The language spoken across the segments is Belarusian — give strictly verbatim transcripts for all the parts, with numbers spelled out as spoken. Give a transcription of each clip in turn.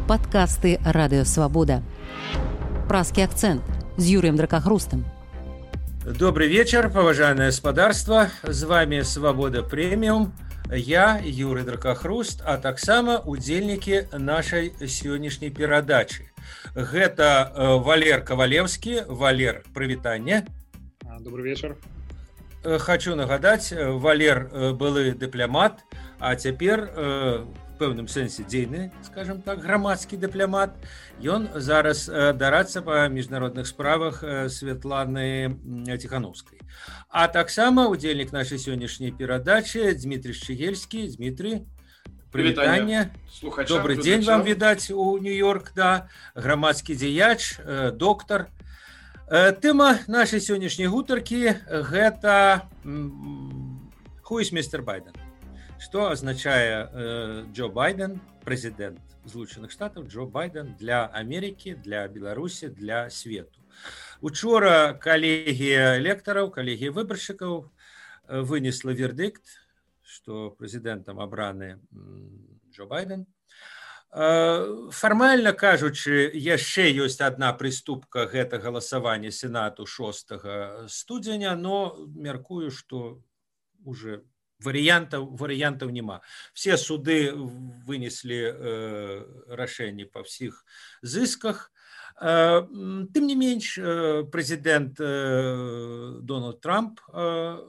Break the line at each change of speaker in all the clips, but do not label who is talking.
Подкасты «Радио Свобода». Пражский акцент с Юрием Дракохрустом.
Добрый вечер, поважанное господарство. С вами «Свобода Премиум». Я, Юрий Дракохруст, а таксама удзельнікі нашай сённяшняй перадачы. Гэта Валер Ковалевский. Валер, прывітанне.
Добрый вечер.
Хочу нагадаць, Валер былы дыпламат, а цяпер в пэўным сэнсе дзейны, скажем так, грамадскі дыпламат. Ён зараз дарацца па міжнародных справах Светланы Тихановскай. А таксама удзельнік нашай сённяшняй перадачы Дмітрий Шчыгельскі. Дмітрий, прывітанне. Добры дзень вам відаць у Нью-Йорк, да. Грамадскі дзеяч, доктар. Тэма нашай сённяшняй гутаркі гэта «Who is мистер Байден?». Што азначае э, Джо Байден, прэзідэнт Злучаных Штатаў, Джо Байден для Амерыкі, для Беларусі, для свету. Учора калегія электараў, калегія выбаршчыкаў вынесла вердыкт, што прэзідэнтам абраны Джо Байден. Фармальна кажучы, яшчэ ёсць адна прыступка, гэта галасаванне Сенату шостага студзеня, но мяркую, што уже варыянтаў варыянтаў няма. Все суды вынеслі э, рашэнні па ўсіх зысках. Э, тым не менш, э, прэзідэнт э, Дональд Трамп э,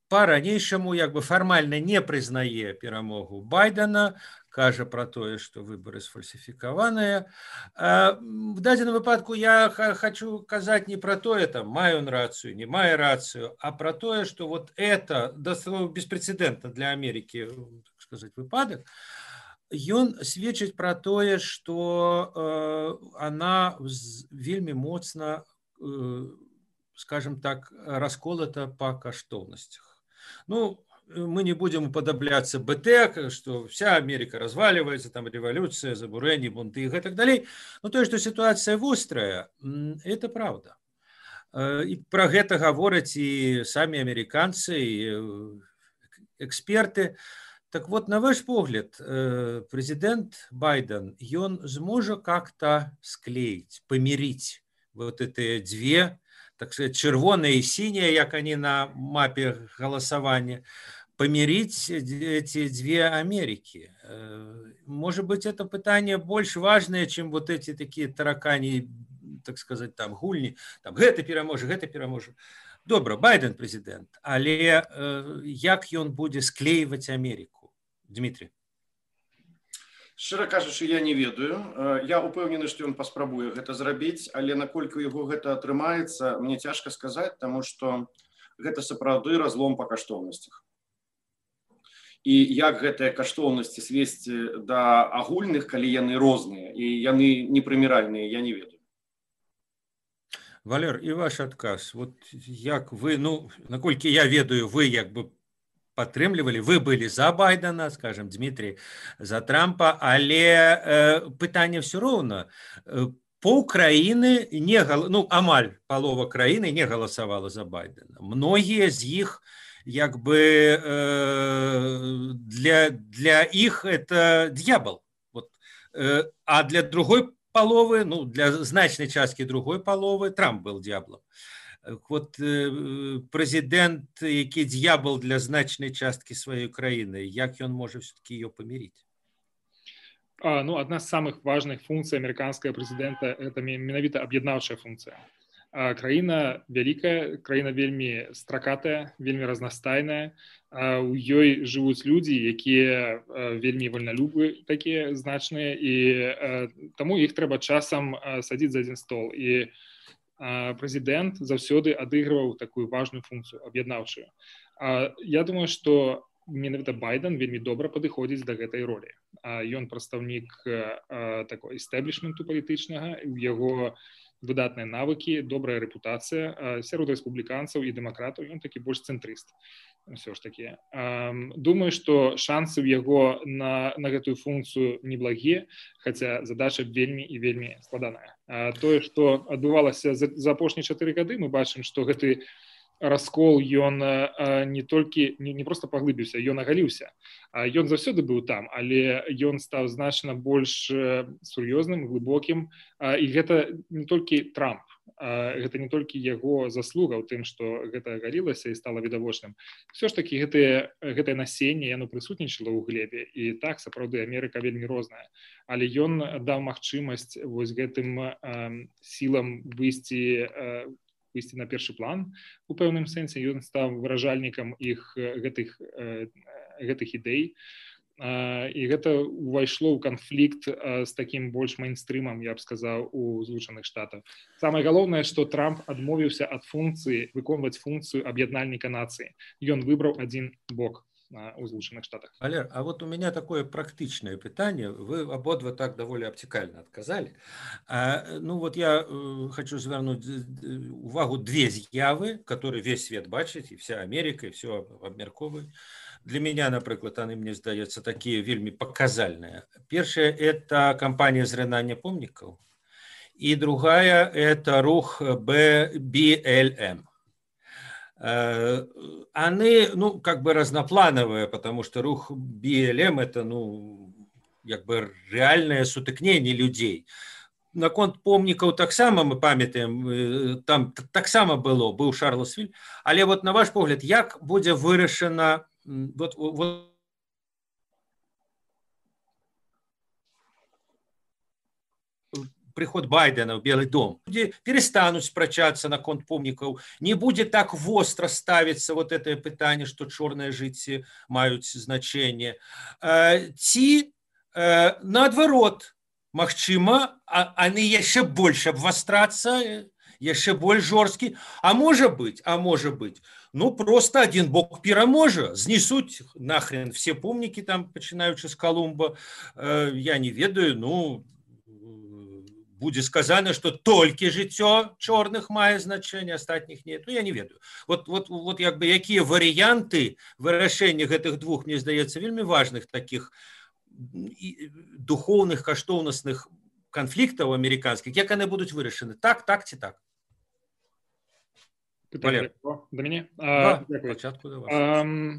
па-ранейшаму як бы фармальна не прызнае перамогу Байдена, кажа пра тое, што выбары сфальсіфікаваныя. В дадзеным выпадку я хочу казаць не пра тое, там, мае он рацыю, не мае рацыю, а пра тое, што вот это беспрэцэдэнтна для Амерыкі, так сказаць, выпадак, ён сведчыць пра тое, што э, она вельмі моцна, э, скажем так, расколата па каштоўнасцях. Ну, мы не будем уподобляться БТ, что вся Америка разваливается, там революция, забурение, бунты и так далее. Но то, что ситуация вострая, это правда. И про это говорят и сами американцы, и эксперты. Так вот, на ваш взгляд, президент Байден, он сможет как-то склеить, помирить вот эти две, так сказать, червоное и синее, как они на мапе голосования, помирить эти две Америки. Может быть, это питание больше важное, чем вот эти такие таракани, так сказать, там, гульни, там, гэта пераможа, гэта пераможа. Добра, Байден президент, але як ён будзе склеивать Америку? Дмитрий.
Шчыра кажучы, я не ведаю. Я упэўнены, што ён паспрабуе гэта зрабіць, але наколькі яго гэта атрымаецца, мне цяжка сказаць, таму што гэта сапраўды разлом па каштоўнасцях. І як гэтыя каштоўнасці свесці да агульных, калі яны розныя і яны непрыміральныя, я не ведаю.
Валер, і ваш адказ. Вот як вы, ну, наколькі я ведаю, вы як бы падтрымлівалі, вы былі за Байдена, скажем, Дмитрий за Трампа, але э, пытанне все роўна. Пол краіны не гал... ну, амаль палова краіны не галасавала за Байдена. Многія з іх як бы э, для, для іх это дьявол. Вот. Э, а для другой паловы, ну, для значнай часткі другой паловы Трамп был дьяволом. Вот э, прэзідэнт, які дьявол для значнай часткі сваёй краіны, як ён можа все-таки ее помирить?
А, ну, одна з самых важных функцый американского президента – это менавіта аб'яднаўчая функцыя. А, краіна вялікая, краіна вельмі стракатая, вельмі разнастайная. А, у ёй жывуць людзі, якія а, вельмі вольналюбы, такія значныя, і а, таму іх трэба часам а, садзіць за адзін стол. І прэзідэнт заўсёды адыгрываў такую важную функцыю, аб'яднаўчую. Я думаю, што менавіта Байден вельмі добра падыходзіць да гэтай ролі. Ён прадстаўнік такой эстаблішменту палітычнага, у яго выдатныя навыкі, добрая рэпутацыя сярод рэспубліканцаў і дэмакратаў, ён такі больш цэнтрыст. Все ж таки. Думаю, што шансы ў яго на, на гэтую функцыю неблагія, хаця задача вельмі і вельмі складаная. Тое, што адбывалася за, за апошнія чатыры гады, мы бачым, што гэты раскол ён не толькі не, не просто паглыбіўся, ён агаліўся. Ён заўсёды быў там, але ён стаў значна больш сур'ёзным, глыбокім, і гэта не толькі Трамп, гэта не толькі яго заслуга ў тым, што гэта агалілася і стала відавочным. Всё ж такі гэтае гэтае насенне яно прысутнічала ў глебе, і так сапраўды Амерыка вельмі розная, але ён даў магчымасць вось гэтым сілам выйсці выйсці на першы план у пэўным сэнсе. Ён стаў выражальнікам іх гэтых гэтых ідэй, і гэта ўвайшло ў канфлікт з такім больш мейнстрымам, я б сказаў, у Злучаных Штатах. Самае галоўнае, што Трамп адмовіўся ад функцыі выконваць функцыю аб'яднальніка нацыі. Ён выбраў адзін бок у Злучаных Штатах.
Валер, а вот у меня такое практичное питание. Вы ободва так довольно обтекально отказали. А, ну вот я э, хочу звернуть увагу две з'явы, которые весь свет бачит, и вся Америка, и все обмерковывает. Для меня, например, они, мне здаецца, такие вельми показальные. Первое – это кампания зрынання помнікаў, и другая – это рух би эл эм. Они, ну, как бы разноплановые, потому что рух би эл эм это, ну, как бы реальное сутыкнение людей. Наконт помнікаў таксама мы памятаем, там таксама было, был Шарласвіль, але вот на ваш погляд, як будзе вырашана вот, вот приход Байдена в Белый дом, люди перестанут спрачаться на конт помнікаў, не будет так востро ставиться вот это питание, что черные жыцці маюць значение. Ці, наадварот, магчыма, они яшчэ больш абвастрацца, яшчэ больш жорсткі, а может быть, а может быть, ну просто один бок пераможа, знесуць нахрен все помнікі там, пачынаючы з Колумба, я не ведаю, ну, будет сказано, что только жыццё чорных мае значение, остатніх нет. Ну, я не ведаю. Вот, вот, вот як бы, якія варыянты вырашэння гэтых двух, мне здаецца, вельмі важных таких духовных, каштоўнасных конфликтов американских, як яны будуць вырашаны? Так, так ці так?
Пытанне да мяне?
Да, пачатку да вас.
Um...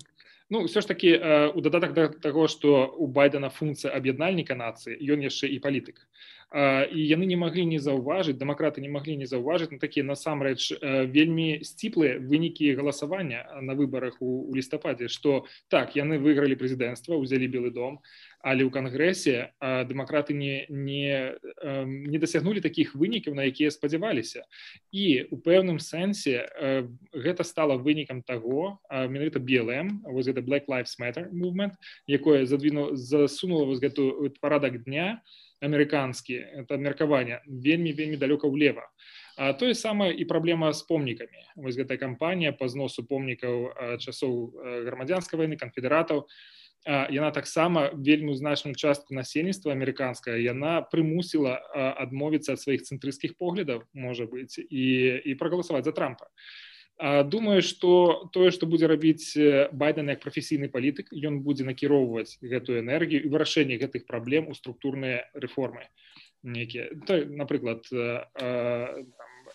Ну, все ж таки, у дадатак да таго, што у Байдена функцыя аб'яднальніка нацыі, ён яшчэ і палітык. І яны не маглі не заўважыць, дэмакраты не маглі не заўважыць на такія, насамрэч, вельмі сціплыя вынікі галасавання на выбарах у, у лістападзе, што так, яны выйгралі прэзідэнцтва, узялі Белы дом, але ў кангрэсе дэмакраты не, не, не дасягнулі такіх вынікаў, на якія спадзяваліся. І ў пэўным сэнсе гэта стала вынікам таго, менавіта би эл эм, вось гэта Black Lives Matter movement, якое задвіну, засунула вось гэту парадак дня амерыканскі, это меркаванне, вельмі-вельмі далёка ўлева. А тое самае і праблема з помнікамі. Вось гэтая кампанія па зносу помнікаў часоў грамадзянскай вайны, канфедэратаў, яна таксама вельмі значную частку насельніцтва амерыканскае, яна прымусіла адмовіцца ад сваіх цэнтрысцкіх поглядаў, можа быць, і, і прагаласаваць за Трампа. Думаю, што тое, што будзе рабіць Байден як прафесійны палітык, ён будзе накіроўваць гэтую энергію і вырашэнне гэтых праблем у структурныя рэформы. Некія, напрыклад,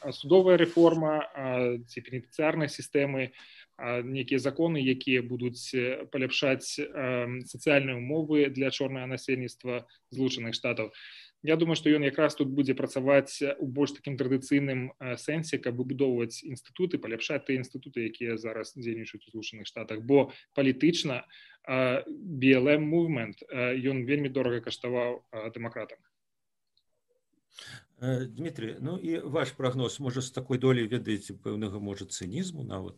судовая рэформа, ці пенітэнцыярнай сістэмы, некія законы, якія будуць паляпшаць сацыяльныя умовы для чорнага насельніцтва Злучаных Штатаў. Я думаю, што ён якраз тут будзе працаваць у больш такім традыцыйным сэнсе, каб выбудоўваць інстытуты, паляпшаць тыя інстытуты, якія зараз дзейнічаюць у Злучаных Штатах, бо палітычна би эл эм movement, ён вельмі дорага каштаваў дэмакратам.
Дмитрий, ну и ваш прогноз, может, с такой долей, ведаеце, пэўнага, может, цинизму нават,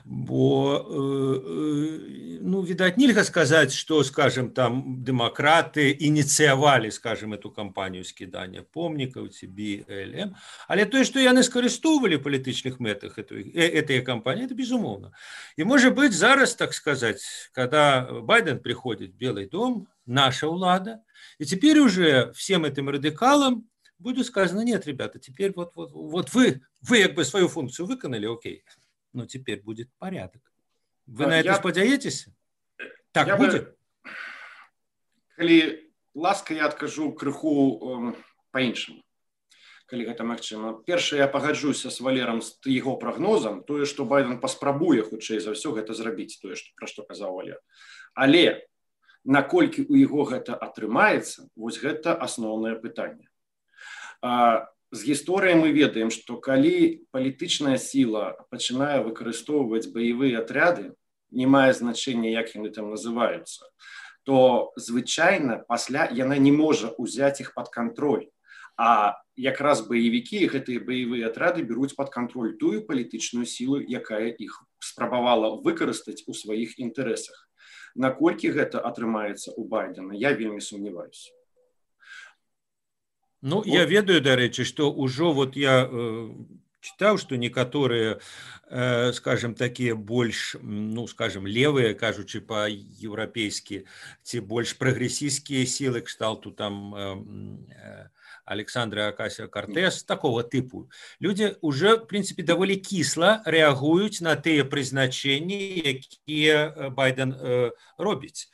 бо, ну, видать, нельга сказать, что, скажем, там, демократы инициировали, скажем, эту кампанию скидания помнікаў, ці би эл эм, але тое, что яны скарыстоўвалі в палітычных мэтах этой, этой кампании, это безумовно. И, может быть, зараз, так сказать, когда Байден приходит в Белый дом, наша улада, и теперь уже всем этим радикалам будет сказано: нет, ребята, теперь вот, вот, вот вы, вы как бы свою функцию выконали, окей, но теперь будет порядок. Вы а на это спадзяетесь? Так я будет?
Бы, коли ласка, я откажу крыху э, по-іншаму. калі гэта магчыма. Першае, я пагаджуся з Валерам з яго прагнозам, тое, што Байден паспрабуе хутчэй за ўсё гэта зрабіць, тое, што, пра што казаў Валер. Але наколькі ў яго гэта атрымаецца, вось гэта асноўнае пытанне. А, з гісторыі мы ведаем, што калі палітычная сіла пачынае выкарыстоўваць баявыя атряды, не мае значэння, як яны там называюцца, то звычайна пасля яна не можа ўзяць іх пад кантроль. А якраз баевікі, гэтыя баявыя атрады беруць пад кантроль тую палітычную сілу, якая іх спрабавала выкарыстаць у сваіх інтарэсах. Наколькі гэта атрымаецца ў Байдена, я вельмі сумняваюся.
Ну, вот. Я ведаю, дарэчы, што ўжо вот я э, чытаў, што некаторыя, э, скажем, такія больш, ну, скажем, левыя, кажучы па-еўрапейскі, ці больш прагрэсійскія сілы кшталту там э, э, Александра Акасио-Кортес, такого типу. Люди уже, в принципе, довольно кисло реагуют на те призначения, которые Байден э, робить.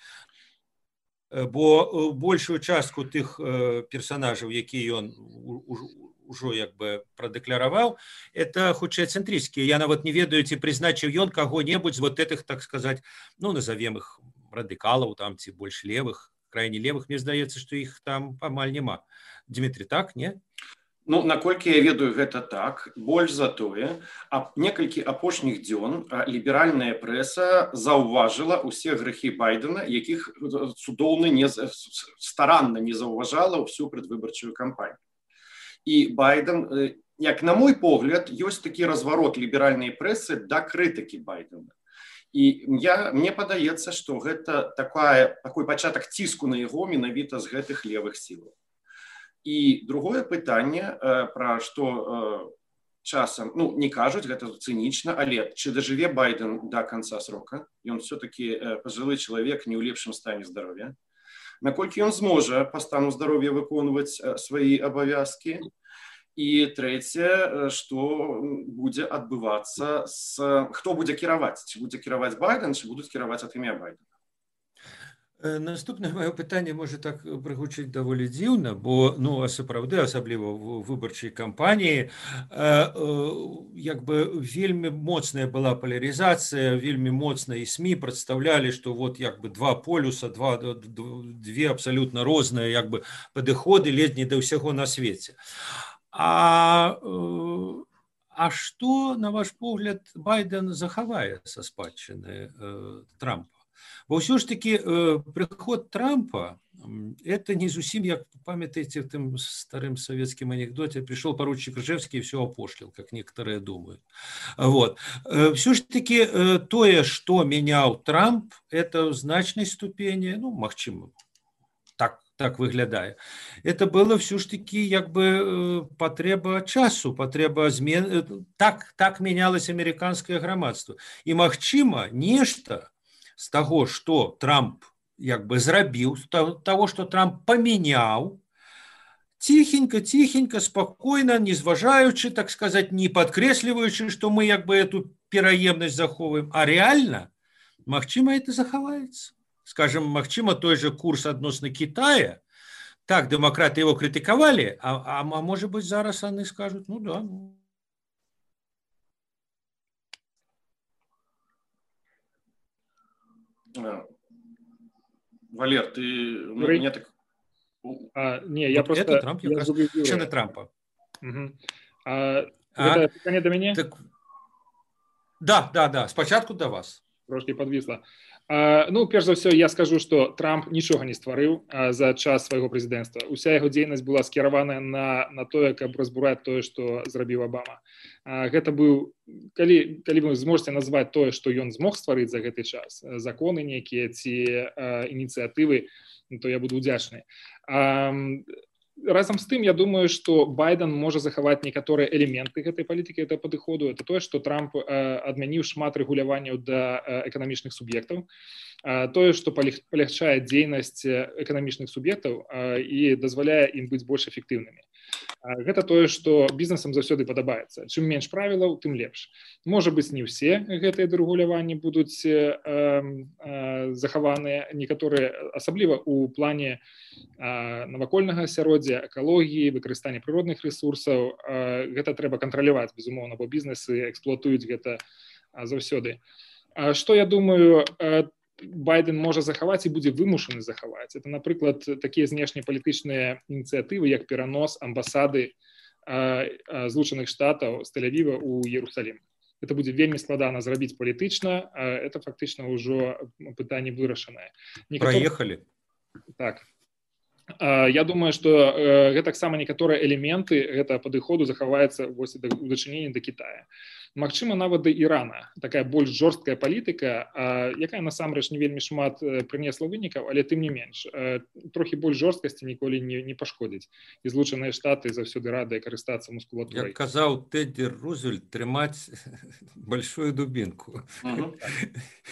Бо большую частку тих э, персонажей, які он уже як бы продекларовал, это худшие центристские. Я нават не ведаю, ці призначил он кого-нибудь из вот этих, так сказать, ну, назовем их радикалов, там, ці больш левых, крайне левых. Мне здаецца, что их там амаль нема. Дмитрий, так, не?
Ну, наколькі я ведаю, гэта так. Больш за тое, а некалькі апошніх дзён ліберальная прэса заўважыла ўсе грэхі Байдена, якіх цудоўна не, старанна не заўважала ўсю прадвыбарчую кампанію. І Байден, як на мой погляд, ёсць такі разварот ліберальнай прэсы да крытыкі Байдена. І я, мне падаецца, што гэта такая, такой пачатак ціску на яго менавіта з гэтых левых сілаў. І другое пытанне, пра што часам, ну, не кажуць, гэта цынічна, але чи дажыве Байден да канца срока? Ён все-таки пажылы чалавек не ў лепшым стане здароўя. Наколькі ён зможа па стану здароўя выконваць свае абавязкі? І трэцяе, што будзе адбывацца з... Хто будзе кіраваць? Ці будзе кіраваць Байден, ці будуць кіраваць ад імя Байдена?
Наступне моє питання може так пригучить доволі дивно, бо, ну, а сапраўды, особливо в виборчій кампанії, якби вельми моцная була поляризація, вельми моцно і СМІ представляли, що вот якби два полюса, два, дві абсолютно різні якби підходи ледь не до всього на світі. А, а що, на ваш погляд, Байден заховає со спадщини Трампа? Бо все ж таки э, приход Трампа, это не зусім, як памятаете в тем старым советским анекдоте, пришел поручик Ржевский и все опошлил, как некоторые думают. Вот. Э, все ж таки э, то, что менял Трамп, это в значной ступени, ну, магчыма, так, так выглядае. Это было все ж таки як бы э, потреба часу, потреба змен, так, так менялось американское грамадство. И магчыма, нешта з таго, што Трамп як бы зрабіў, з таго, што Трамп памяняў, ціхенька, ціхенька, спакойна, не зважаючы, так сказаць, не падкрэсліваючы, што мы як бы эту пераемнасць захоўваем, а рэальна, магчыма, это захаваецца. Скажем, магчыма, той же курс адносна Китая, так, дэмакраты его крытыкавалі, а, а, а можа быць, зараз яны скажуць, ну да, ну,
Валер, ты... Ну, мне так...
А, не, я
вот
просто...
Это Трамп,
я
я раз... на Трампа.
Угу. А, а? Это питание до меня?
Так... Да, да, да. Спочатку до вас.
Трошки подвисло. А, ну, перш за ўсё, я скажу, што Трамп нічога не стварыў а, за час свайго прэзідэнцтва. Уся яго дзейнасць была скіраваная на, на тое, каб разбураць тое, што зрабіў Абама. А, гэта быў, калі, калі вы зможаце назваць тое, што ён змог стварыць за гэты час, законы нейкія ці а, ініцыятывы, то я буду удзячны. А, разам з тым, я думаю, што Байден можа захаваць некаторыя элементы гэтай палітыкі, гэтага падыходу. Это тое, што Трамп э, адмяніў шмат рэгуляванняў да э, эканамічных суб'ектаў. Э, тое, што палягчае дзейнасць эканамічных суб'ектаў э, і дазваляе ім быць больш эфектыўнымі. Гэта тое, што бізнесам заўсёды падабаецца. Чым менш правілаў, тым лепш. Можа быць, не ўсе гэтыя дэрэгуляванні будуць э, э, захаваныя, некаторыя, асабліва ў плане э, навакольнага асяроддзя, экалогіі, выкарыстання прыродных ресурсаў. Э, гэта трэба кантраляваць, безумоўна, бо бізнесы эксплуатуюць гэта э, заўсёды. А што я думаю, э, Байден можа захаваць і будзе вымушаны захаваць. Это, напрыклад, такія знешнепалітычныя ініцыятывы, як перанос амбасады Злучаных Штатаў з Тель-Авіва ў Іерусалім. Это будзе вельмі складана зрабіць палітычна, это фактычна ўжо пытанне вырашанае. Некаторы...
Праехалі.
Так. Я думаю, што гэтаксама некаторыя элементы гэтага падыходу захаваецца вось у дачыненні да Кітая. Магчыма, нават да Ірана. Такая больш жорсткая палітыка, якая насамрэч не вельмі шмат прынесла вынікаў, але тым не менш. Трохі больш жорсткасці ніколі не, не пашкодзіць. І Злучаныя Штаты заўсёды радыя карыстацца мускулатурай.
Як казаў Тэдді Рузвельт, трымаць большую дубінку.
Uh-huh.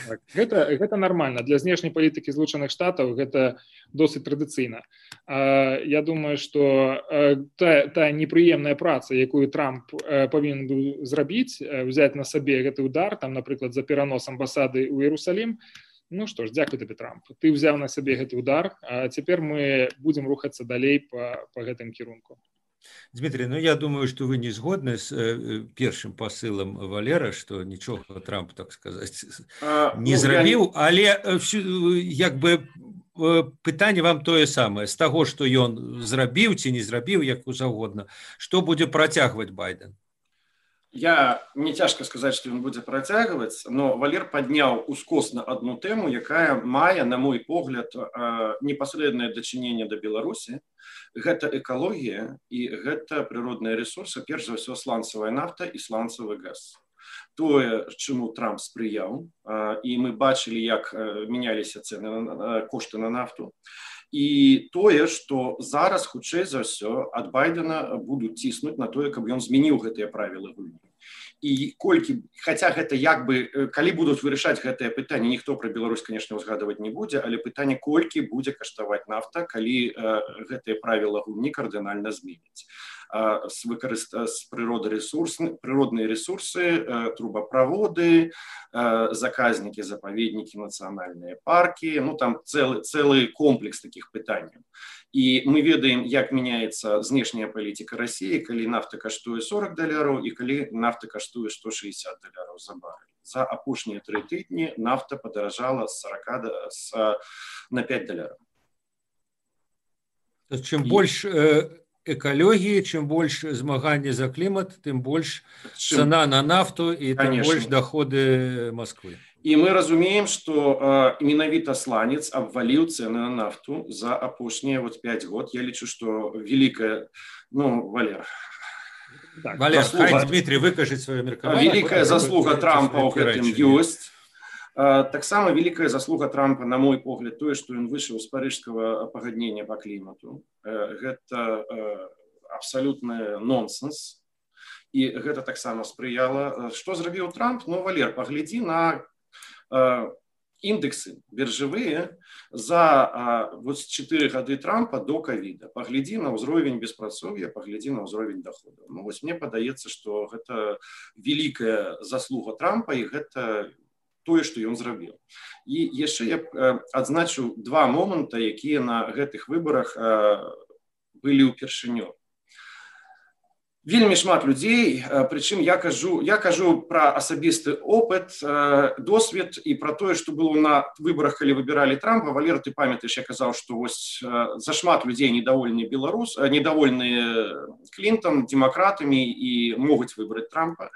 Так. Гэта, гэта нармальна. Для знешняй палітыкі Злучаных Штатаў гэта досыць традыцыйна. Я думаю, што тая, тая непрыемная праца, якую Трамп павінен быў зрабіць, взять на сабе гэты удар, там, напрыклад, за перанос амбасады ў Іерусалім, ну што ж, дзякуй табе, Трамп. Ты ўзяў на сабе гэты удар, а цяпер мы будзем рухацца далей па, па гэтым кірунку.
Дмитрий, ну я думаю, что вы не згодны с э, першым посылом Валера, что ничего Трамп, так сказать, а, не ну, зрабіў, я... але як бы пытанне вам тое самае, з таго, што ён зрабіў ці не зрабіў, як заўгодна, што будзе працягваць Байден?
Я не цяжка сказаць, што ён будзе працягваць, но Валер падняў ускосна адну тэму, якая мае, на мой погляд, непасрэднае дачыненне да Беларусі. Гэта экалогія і гэта прыродныя ресурсы, перш за ўсё сланцавая нафта і сланцавы газ. Тое, чаму Трамп спрыяў, і мы бачылі, як мяняліся цэны, кошты на нафту. І тое, што зараз, хутчэй за ўсё, ад Байдена будуць ціснуць на тое, каб ён змяніў гэтыя правілы гульні. І колькі, хаця гэта як бы, калі будуць вырашаць гэтае пытанне, ніхто пра Беларусь, канешне, узгадваць не будзе, але пытанне, колькі будзе каштаваць нафта, калі гэтыя правілы гульні кардынальна зменяць. С, выкарыста... с природоресурс... природные ресурсы, трубопроводы, заказники, заповедники, национальные парки, ну там целый, целый комплекс таких пытаний. И мы ведаем, как меняется внешняя политика России, коли нафта каштуе сорок долларов и коли нафта каштуе сто шестьдесят долларов за баррель. За опушние три тыдни нафта подорожала с сорока с, на пять долларов.
Чем и... больше экологии, чем больше змагання за климат, тем больше чем... цена на нафту и тем больше доходы Москвы.
И мы разумеем, что э, менавіта сланец обвалил цены на нафту за опошние вот пять год. Я лечу, что великая, ну, Валер.
Так, Валер, заслуга... хай Дмитрий выкажет свое меркаванне.
Великая заслуга Трампа ў гэтым ёсць. Таксама великая заслуга Трампа, на мой погляд, тое, што ён выйшаў з парыжскага пагаднення по клімату. Гэта абсалютны нонсенс. І гэта таксама спрыяла. Што зрабіў Трамп? Ну, Валер, паглядзі на індексы біржавыя за вот чатыры гады Трампа до ковіда. Паглядзі на ўзровень беспрацоўя, паглядзі на ўзровень доходу. Ну, вось мне падаецца, што гэта великая заслуга Трампа, і гэта тое, што ён зрабіў. І яшчэ я адзначу два моманта, якія на гэтых выбарах былі ўпершыню. Вельмі шмат людзей, прычым я кажу, я кажу пра асабісты опыт, досвед і пра тое, што было на выбарах, калі выбіралі Трампа. Валер, ты памятаеш, я казаў, што вось зашмат людзей недовольны Беларус, недовольны Клінтон, дэмакратамі і могуць выбраць Трампа.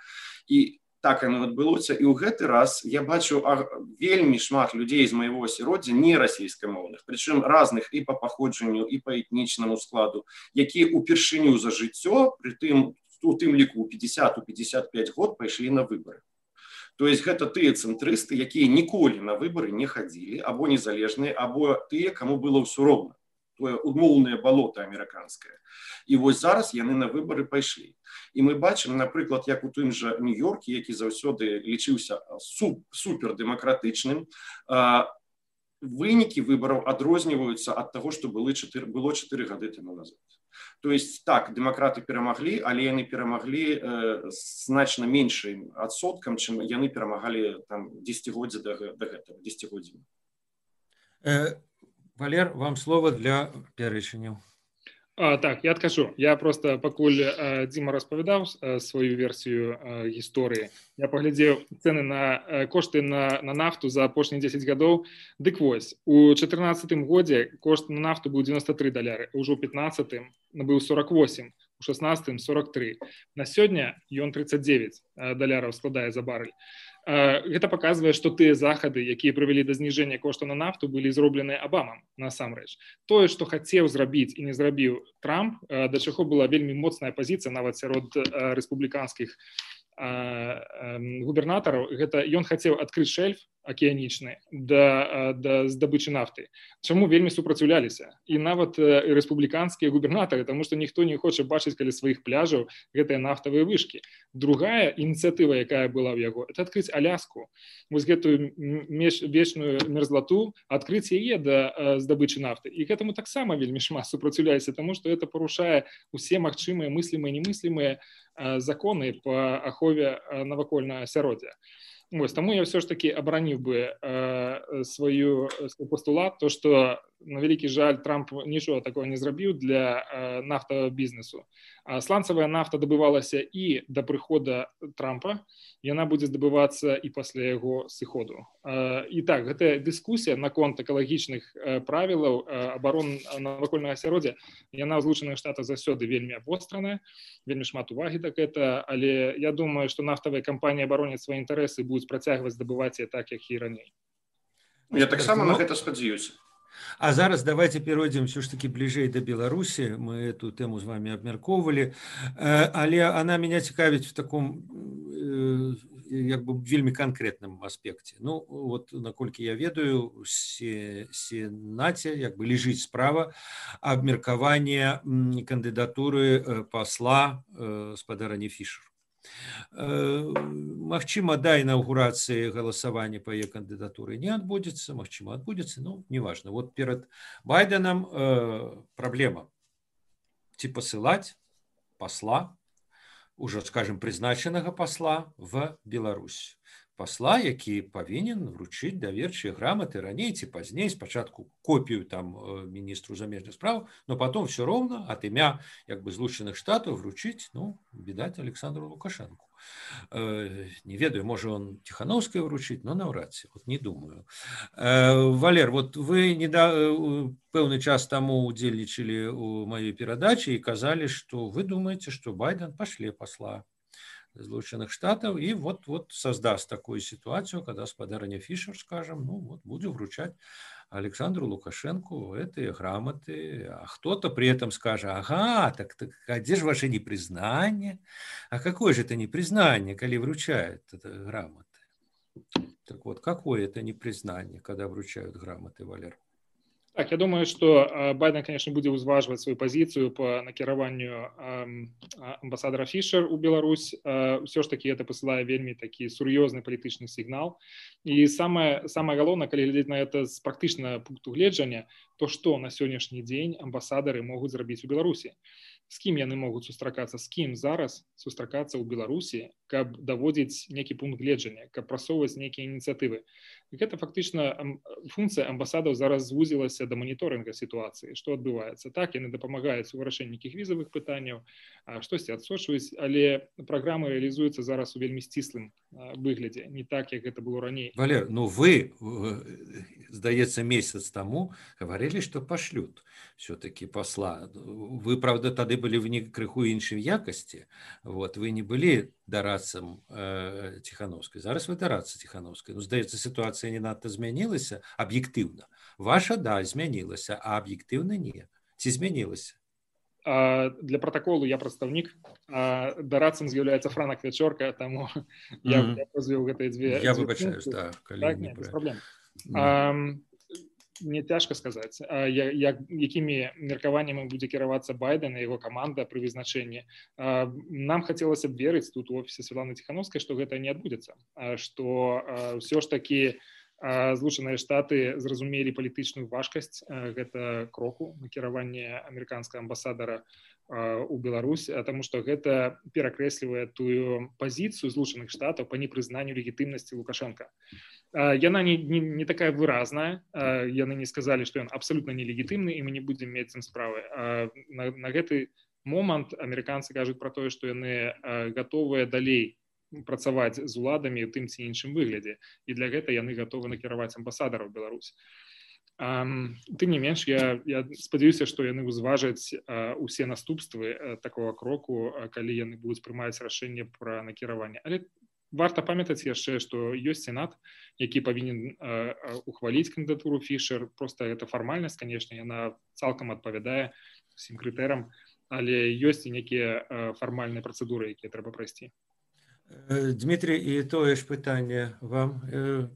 І так оно адбылося. І ў гэты раз я бачу вельмі шмат людзей з майго асяроддзя не расійскамоўных, прычым разных і па паходжанню, і па этнічнаму складу, якія ўпершыню за жыццё, пры тым, у тым ліку пятьдесят пятьдесят пять год пайшлі на выбары. То есть гэта тыя цэнтрысты, якія ніколі на выбары не хадзілі, або незалежныя, або тыя, каму было ўсё роўна. Тое умоўнае балота амерыканскае. І вось зараз яны на выбары пайшлі. І мы бачым, напрыклад, як у тым жа Нью-Йорке, які заўсёды лічыўся суп, супердэмакратычным, вынікі выбараў адрозніваюцца ад таго, што было чатыры гады таму назад. То есть так, дэмакраты перамаглі, але яны перамаглі э, значна меншым адсоткам, чым яны перамагалі там дзесяцігоддзя да, да гэтага, дзесяцігоддзя.
Э, Валер, вам слово для пярэчанняў.
А, так, я адкажу. Я просто, пакуль э, Дзіма распавядаў э, сваю версію э, гісторыі, я паглядзеў цэны на э, кошты на, на нафту за апошнія дзесяць гадоў. Дык вось, у чатырнаццатым годзе кошт на нафту быў дзевяноста тры даляры, ўжо ў пятнаццатым быў сорок восемь, у шаснаццатым сорок тры. На сёння ён тридцать девять даляраў складае за барэль. Гэта паказвае, што тыя захады, якія прывялі да зніжэння кошту на нафту, былі зробленыя Абамам насамрэч. Тое, што хацеў зрабіць і не зрабіў Трамп, да чаго была вельмі моцная пазіцыя нават сярод рэспубліканскіх губернатараў, гэта ён хацеў адкрыць шэльф акіянічны да, да здабычы нафты. Чаму вельмі супраціўляліся? І нават рэспубліканскія губернатары, таму што ніхто не хоча бачыць каля сваіх пляжаў гэтыя нафтавыя вышкі. Другая ініцыятыва, якая была ў яго, это адкрыць Аляску. Вось гэтую вечную мерзлату, адкрыць яе да здабычы нафты. І гэтаму таксама вельмі шмат супраціўляліся, таму што это парушае усе магчымыя мыслімыя і немыслімыя законы по ахове навакольнага асяроддзя. Вось, таму я все ж таки абараніў бы э, сваю свой пастулат, то што на вялікі жаль Трамп нічога такого не зрабіў для э, нафтавага бізнесу. А сланцавая нафта дабывалася і да прыхода Трампа, яна будзе здабывацца і пасля яго сыходу. Э, і так, гэтая дыскусія наконт экалагічных э, правілаў э, абарон навакольнага асяроддзя, яна ў Злучаных Штатах заўсёды вельмі абостраная, вельмі шмат увагі так гэта, але я думаю, што нафтавыя кампаніі абароняць свае інтарэсы, будуць працягваць здабываць так, як і раней.
Я таксама на гэта спадзяюся.
А зараз давайте перейдем все ж таки ближе до Беларуси. Мы эту тему с вами обмерковывали. Але она меня цікавить в таком як бы вельмі конкретном аспекте. Ну, вот, наколькі я ведаю, в Сенаце як бы лежит справа абмеркавання кандидатуры посла спадарні Фішер. Магчыма, да інаўгурацыі галасавання па яе кандыдатуры не адбудзецца, магчыма, адбудзецца, ну, неважно. Вот перад Байденам э, праблема. Ці пасылаць посла, уже, скажем, прызначанага посла в Беларусь. Посла, які павінен вручыць даверчыя граматы раней ці пазней, спачатку копію там міністру замежных справ, но потом все ровно от імя як бы Злучаных Штатаў вручыць, ну, відаць, Александру Лукашенку. Э, не ведаю, можа он Тихановскай вручыць, но наўрад ці, вот не думаю. Э, Валер, вот вы не да, пэўны час таму удзельнічалі у маёй перадачы і казалі, што вы думаеце, што Байден пашле посла Злучаных Штатов и вот, вот создаст такую ситуацию, когда спадарня Фишер, скажем, ну вот буду вручать Александру Лукашенку эти грамоты, а кто-то при этом скажет, ага, так, так а где же ваше непризнание? А какое же это непризнание, коли вручают это грамоты? Так вот, какое это непризнание, когда вручают грамоты, Валер?
Так, я думаю, што Байден, конечно, будзе ўзважваць сваю пазіцыю па накіраванню амбасадара Фішер у Беларусь. Усё ж таки это пасылае вельмі такі сур'ёзны палітычны сігнал. І самае, самае галоўнае, калі глядзець на это з практычнага пункту гледжання, то што на сённяшні дзень амбасадары могуць зрабіць у Беларусі? З кім яны могуць сустракацца, з кім зараз сустракацца ў Беларусі, каб даводзіць некі пункт гледжання, каб прасоўваць нейкія ініцыятывы. І гэта фактычна функцыя амбасадаў зараз звузілася да маніторынга сітуацыі, што адбываецца. Так, яны дапамагаюць у вырашэнні нейкіх візавых пытанняў, штосьці адсочваюць, але праграмы рэалізуюцца зараз у вельмі сціслым выглядзе, не так, як гэта было раней.
Валер, ну вы, здаецца, месяц таму гаварылі, што пашлют все-таки посла. Вы, правда, тады былі в крыху іншай якасці, вот, вы не былі дарадцам э, Тихановскай. Зараз вы дарацца Тихановскай. Ну, здаецца, сітуацыя не надта змянілася аб'ектыўна. Ваша, да, змянілася, а аб'ектыўна не. Ці змянілася?
А, для протоколу я прадстаўнік, а дарадцам з'яўляецца Франак Вячорка, таму mm-hmm. я, я позвіў гэтыя дзве.
Я выбачаюсь, да, калі
так,
не
не, без праблем. Mm-hmm. А, мне цяжка сказаць, як, якімі меркаваннямі будзе кіравацца Байден і яго каманда пры вызначэнні. Нам хацелася б верыць тут у офісе Святланы Тихановскай, што гэта не адбудзецца, што ўсё ж такі Злучаныя Штаты зразумелі палітычную важкасць гэта кроку накіравання амерыканскага амбасадара у Беларусь, таму што гэта перакрэслівае тую пазіцыю Злучаных Штатаў па непрызнанню легітымнасці Лукашенка. Яна не, не, не такая выразная, яны не сказалі, што ён абсалютна нелегітымны і мы не будзем мець з ім справы. На, на гэты момант амерыканцы кажуць пра тое, што яны гатовыя далей працаваць з уладамі ў тым ці іншым выглядзе. І для гэта яны гатовы накіраваць амбасадара ў Беларусь. Тым не менш, я, я спадзяюся, што яны ўзважаць усе наступствы такого кроку, калі яны будуць прымаць рашэнне пра накіраванне. Але варта памятаць яшчэ, што ёсць сенат, які павінен ухваліць кандыдатуру Фішер. Проста гэта фармальнасць, канешне, яна цалкам адпавядае усім крытэрам, але ёсць і некія фармальныя працэдуры, якія трэба прайсці.
Дмитрий, і тое ж пытанне вам,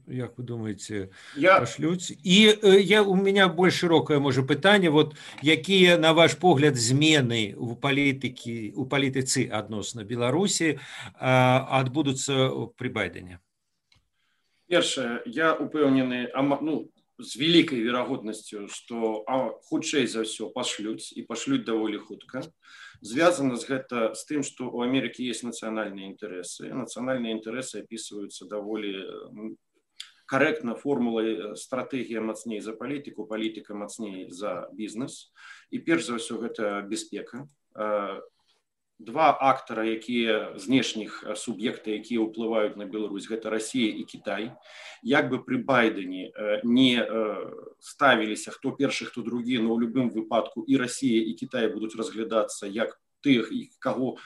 як вы думаете,
я...
пошлють? І я, у меня больш широкое, може, пытанне, вот, якія, на ваш погляд, змены у палітыкі, у палітыцы адносна Беларусі адбудуцца при Байдене?
Першае, я упэўнены, ну, з вялікай верагоднасцю, што хутчэй за ўсё пашлюць і пашлюць даволі хутка. Звязано з гэта з тым, што ў Амерыкі ёсць нацыянальныя інтарэсы. Нацыянальныя інтарэсы апісваюцца даволі карэктна формулай стратэгія мацней за палітыку, палітыка мацней за бізнес. І перш за ўсё гэта бяспека. Два актара, якія знешніх суб'екта, якія ўплываюць на Беларусь, гэта Расія і Кітай. Як бы пры Байдене не ставіліся хто першы, хто другі, но ў любым выпадку і Расія, і Кітай будуць разглядацца як тых, каго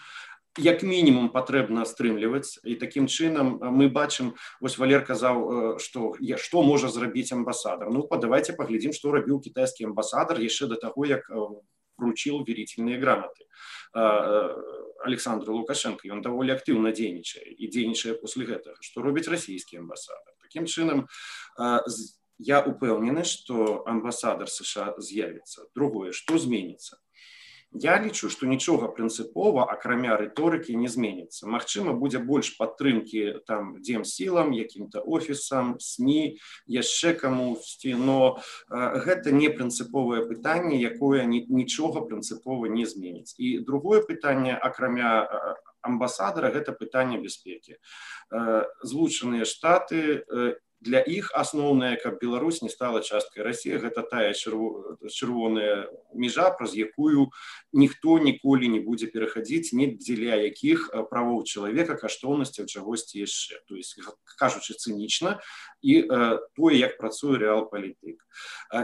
як мінімум патрэбна стрымліваць. І такім чынам мы бачым, вось Валер казаў, што што можа зрабіць амбасадар. Ну, давайте паглядзім, што рабіў кітайскі амбасадар яшчэ да таго, як вручил верительные грамоты Александру Лукашенко. Ён даволі актыўна дзейнічае і дзейнічае после гэтага. Што робіць расійскі амбасадар? Такім чынам, я упэўнены, што амбасадар США з'явіцца. Другое, што зменіцца? Я лічу, што нічога прынцыпова, акрамя рыторыкі, не зменіцца. Магчыма, будзе больш падтрымкі там дземсілам, якім-то офісам, СМІ, яшчэ камусьці, но гэта не прынцыповае пытанне, якое нічога прынцыпова не зменіць. І другое пытанне, акрамя амбасадара, гэта пытанне бяспекі. Злучаныя Штаты, для іх асноўнае, каб Беларусь не стала часткай Расіі, гэта тая чырвоная межа, праз якую ніхто ніколі не будзе перахадзіць, ні дзеля якіх правоў чалавека, каштоўнасцяў, чагосьці яшчэ. То есть, кажучы цынічна, і тое, як працуе рэал-палітык.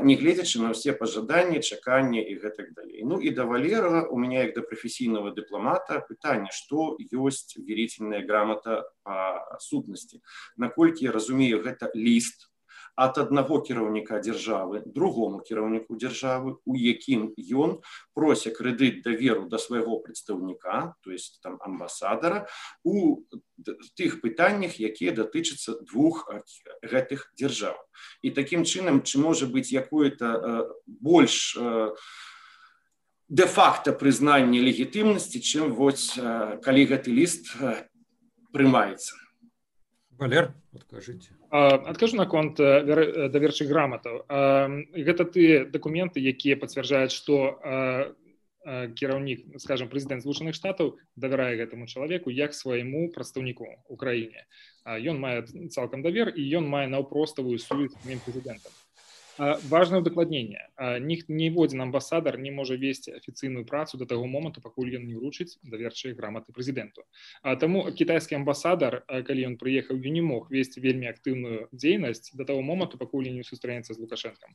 Не гледзячы на ўсе пажаданні, чаканні і гэтак далей. Ну і да Валера, у меня як да прафесійнага дыпламата, пытанне, што ёсць верительная грамота па сутнасці. Наколькі я разумею, гэта ліст ад аднаго кіраўніка дзяржавы другому кіраўніку дзяржавы, у якім ён прося крэдыт даверу да свайго прадстаўніка, то есть там амбасадара, у тых пытаннях, якія датычацца двух гэтых дзяржаў. І такім чынам, ці можа быць якое-то больш дэ-факта прызнанне легітымнасці, чым вось калі гэты ліст прымаецца.
Валер, адкажыце.
Адкажу наконт даверчых граматаў. Гэта тыя дакументы, якія пацвярджаюць, што кіраўнік, скажем, прэзідэнт Злучаных Штатаў давярае гэтаму чалавеку як свайму прадстаўніку ў краіне. Ён мае цалкам давер і ён мае наўпроставую сувязь з самім прэзідэнтам. Важное удакладненне. Ніводзін амбасадар не можа весці афіцыйную працу да таго моманту, пакуль ён не ўручыць даверчыя граматы прэзідэнту. Таму кітайскі амбасадар, калі ён прыехаў, ён не мог весці вельмі актыўную дзейнасць да таго моманту, пакуль не сустрэнецца з Лукашэнкам.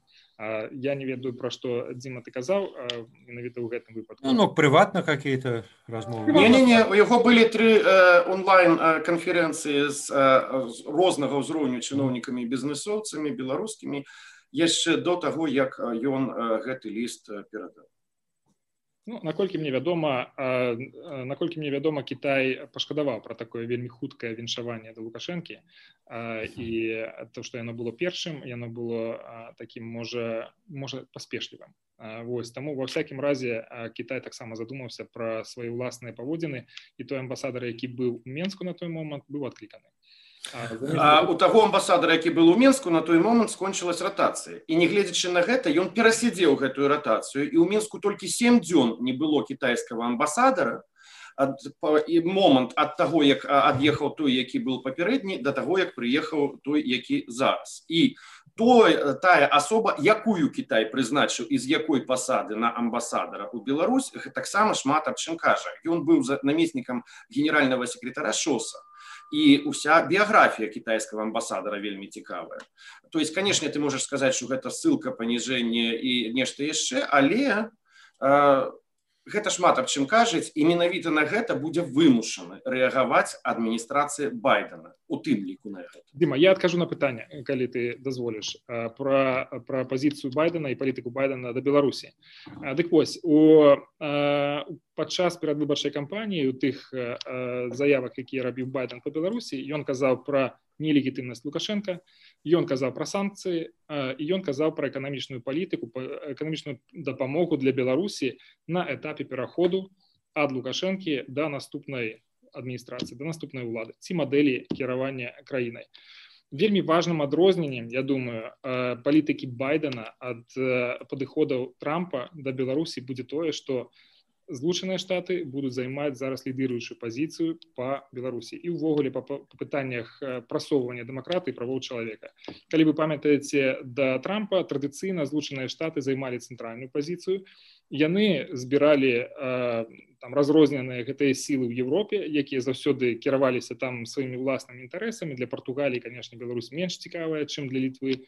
Я не ведаю, пра што Дзіма ты казаў, менавіта ў гэтым выпадку.
Ну, ну прыватна какие-то размовы.
Не-не-не, у яго былі тры онлайн-канферэнцыі з рознага ўзроўню чыноўнікамі і бізнесоўцамі, беларускімі, яшчэ до таго, як ён гэты ліст перадаў.
Ну, наколькі мне вядома, наколькі мне вядома, Кітай пашкадаваў пра такое вельмі хуткае віншаванне да Лукашэнкі, і то, што яно было першым, яно было такім, можа, можа паспешлівым. Вось, таму ва ўсякім разе Кітай таксама задумаўся пра свае ўласныя паводзіны, і той амбасадар, які быў у Менску на той момант, быў адкліканы.
А у таго амбасадара, які был у Мінску, на той момант скончылась ратацыя. І нягледзячы на гэта, ён перасядзеў гэтую ратацыю, і ў Мінску толькі сем дзён не было кітайскага амбасадара, ад, і момант ад таго, як ад'ехаў той, які был папярэдні, да таго, як прыехаў той, які зараз. І той, тая асоба, якую Кітай прызначыў і з якой пасады на амбасадара ў Беларусь, таксама шмат аб чым кажа. Ён быў намеснікам генеральнага секретара ШОСа. І уся біяграфія кітайскага амбасадара вельмі цікавая. То есть, конечно, ты можаш сказаць, што гэта ссылка, паніжэнне і нешта яшчэ, але э, гэта шмат аб чым кажуць, і менавіта на гэта будзе вымушана рэагаваць адміністрацыя Байдена, у тым ліку на гэта.
Дима, я адкажу на пытанне, калі ты дазволіш, пра, пра пазіцыю Байдена і палітыку Байдена да Беларусі. Дык вось, у, падчас перадвыбарчай кампаніі, у тых заявах, якія рабіў Байден па Беларусі, ён казаў пра нелегітымнасць Лукашенка, ён казаў пра санкцыі, і ён казаў пра эканамічную палітыку, эканамічную дапамогу для Беларусі на этапе пераходу ад Лукашэнкі да наступнай адміністрацыі, да наступнай улады, ці мадэлі кіравання краінай. Вельмі важным адрозненнем, я думаю, палітыкі Байдена ад падыходаў Трампа да Беларусі будзе тое, што Злучаныя Штаты будуць займаць зараз лідыруючую пазіцыю па Беларусі і ўвогуле па пытаннях прасоўвання дэмакратыі і правоў чалавека. Калі вы памятаеце, да Трампа традыцыйна Злучаныя Штаты займалі цэнтральную пазіцыю. Яны збіралі там разрозненыя гэтыя сілы ў Европе, якія заўсёды кіраваліся там сваімі ўласнымі інтарэсамі. Для Партугаліі, канешне, Беларусь менш цікавая, чым для Літвы.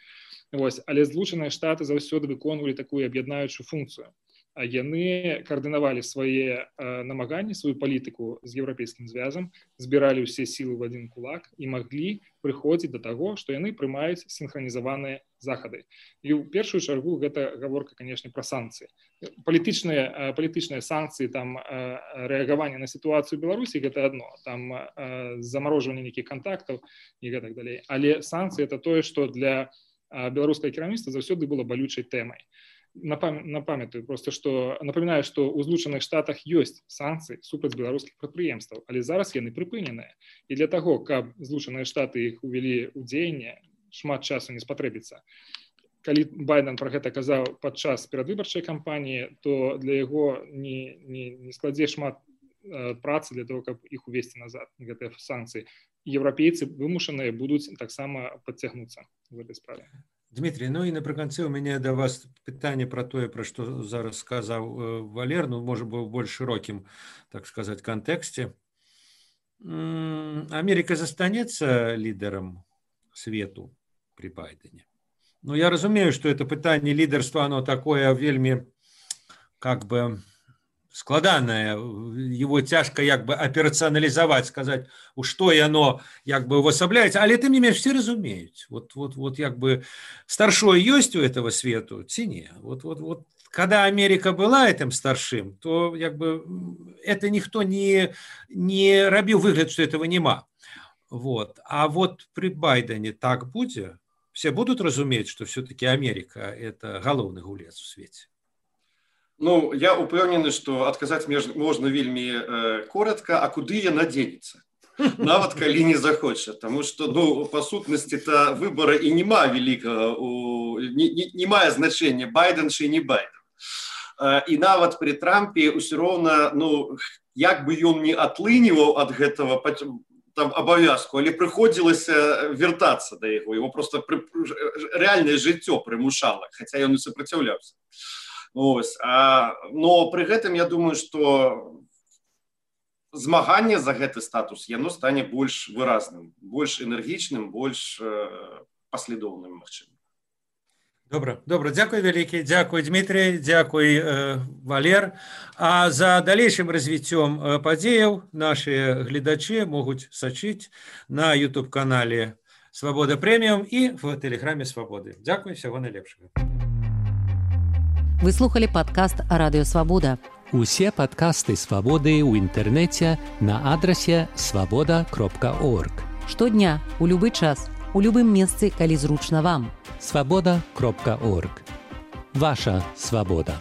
Вось. Але Злучаныя Штаты заўсёды выконвалі такую аб'яднаючую функцыю. А яны каардынавалі свае э, намаганні, сваю палітыку з еўрапейскім звязам, збіралі ўсе сілы ў адзін кулак і маглі прыходзіць да таго, што яны прымаюць сінхранізаваныя захады. І ў першую чаргу гэта гаворка, канешне, пра санкцыі. Палітычныя, э, палітычныя санкцыі, там э, рэагаванне на сітуацыю ў Беларусі гэта адно, там э, замарожванне нейкіх кантактаў і гэтак далей. Але санкцыі это тое, што для э, беларускага кіраўніцтва заўсёды было балючай тэмай. Напамятаю просто, што напамінаю, што ў Злучаных Штатах ёсць санкцыі супраць беларускіх прадпрыемстваў, але зараз яны прыпыненыя. І для таго, каб Злучаныя Штаты іх увялі ў дзеянне, шмат часу не спатрэбіцца. Калі Байден пра гэта казаў падчас перадвыбарчай кампаніі, то для яго не, не, не складзе шмат э, працы для того, каб іх увесці назад, гэтыя санкцыі. Еўрапейцы вымушаныя будуць таксама падцягнуцца в гэтай справе.
Дмитрий, ну і напрыканцы у мяне да вас пытанне пра тое, пра што зараз сказаў Валер, ну, можа, быў больш шырокім, так сказаць, кантэксце. Америка застанецца лідерам свету при Байдене. Ну, я разумею, што это пытанне лідарства, оно такое вельмі, как бы, складанае, его цяжка як бы аперацыяналізаваць, сказаць, у што яно як бы увасабляецца, але тым не менш все разумеюць. Вот, вот, вот як бы старшой ёсць у этого свету, ці не. Вот, вот, вот, когда Америка была этим старшим, то як бы это никто не, не рабіў выгляд, что этого нема. Вот. А вот при Байдене так будзе, все будут разумець, что все-таки Америка это галоўны гулец у свеце.
Ну, я упэўнены, што адказаць можна вельмі э, коротка, а куды яна дзенецца? Нават калі не захоча, таму што, ну, па сутнасці-то выбара і нема вялікага, не, не, не мае значэння, Байден чи не Байден. Э, і нават при Трампе ўсё роўна, ну, як бы ён не атлыніваў ад гэтага там абавязку, але прыходзілася вяртацца да яго, его просто пры, рэальнае жыццё прымушала, хаця ён і супраціўляўся. Ось, а, но при гэтым я думаю, што змаганне за гэты статус яно стане больш выразным, больш энергічным, больш э, паслядоўным, магчыма.
Добра, добра, дзякуй вялікі, дзякуй Дмітрий, дзякуй э, Валер. А за далейшым развіццём э, падзеяў нашы гледачы могуць сачыць на YouTube-канале Свабода Прэміум і в тэлеграме Свабоды. Дзякуй, всяго найлепшага.
Вы слухали падкаст Радыё Свабода.
Усе падкасты Свабоды ў інтэрнэце на адрасе свабода кропка орг.
Штодня, у любы час, у любым месцы, калі зручна вам.
свабода кропка орг. Ваша свабода.